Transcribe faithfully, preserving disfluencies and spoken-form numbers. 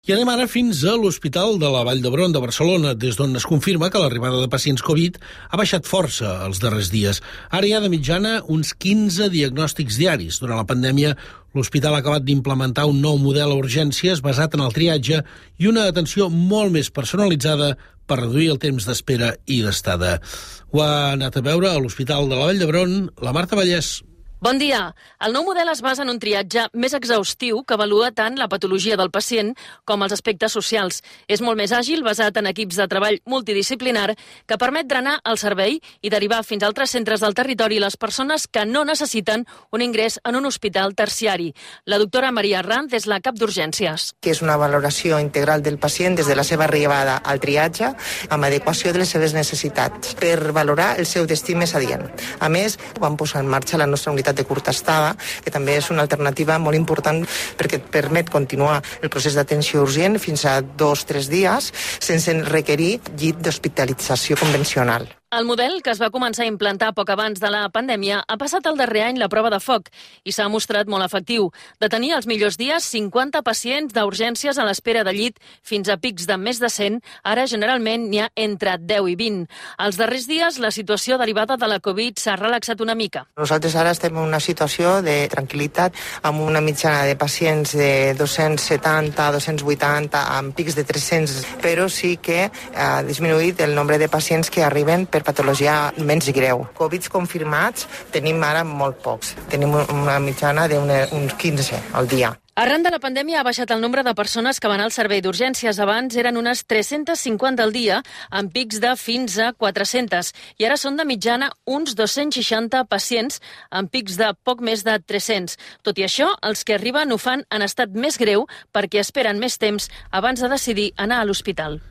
I anem ara fins a l'Hospital de la Vall d'Hebron de Barcelona, des d'on es confirma que l'arribada de pacients Covid ha baixat força els darrers dies. Ara hi ha de mitjana uns quinze diagnòstics diaris. Durant la pandèmia, l'hospital ha acabat d'implementar un nou model a urgències basat en el triatge i una atenció molt més personalitzada per reduir el temps d'espera i d'estada. Ho ha anat a veure a l'Hospital de la Vall d'Hebron la Marta Vallès. Bon dia. El nou model es basa en un triatge més exhaustiu que avalua tant la patologia del pacient com els aspectes socials. És molt més àgil, basat en equips de treball multidisciplinar, que permet drenar el servei i derivar fins a altres centres del territori les persones que no necessiten un ingrés en un hospital terciari. La doctora Maria Arranz és la cap d'urgències. Que és una valoració integral del pacient des de la seva arribada al triatge amb adequació de les seves necessitats per valorar el seu destí més adient. A més, vam posar en marxa la nostra unitat de curta estada, que també és una alternativa molt important perquè et permet continuar el procés d'atenció urgent fins a dos o tres dies sense requerir llit d'hospitalització convencional. El model, que es va començar a implantar poc abans de la pandèmia, ha passat el darrer any la prova de foc i s'ha mostrat molt efectiu. De tenir els millors dies cinquanta pacients d'urgències a l'espera de llit fins a pics de més de cent, ara generalment n'hi ha entre deu i vint. Els darrers dies la situació derivada de la Covid s'ha relaxat una mica. Nosaltres ara estem en una situació de tranquil·litat amb una mitjana de pacients de dos-cents setanta a dos-cents vuitanta amb pics de tres-cents, però sí que ha disminuït el nombre de pacients que arriben per patologia menys greu. Covid confirmats tenim ara molt pocs. Tenim una mitjana d'uns quinze al dia. Arran de la pandèmia ha baixat el nombre de persones que van al servei d'urgències. Abans eren unes tres-cents cinquanta al dia, amb pics de fins a quatre-cents. I ara són de mitjana uns dos-cents seixanta pacients, amb pics de poc més de tres-cents. Tot i això, els que arriben ho fan en estat més greu perquè esperen més temps abans de decidir anar a l'hospital.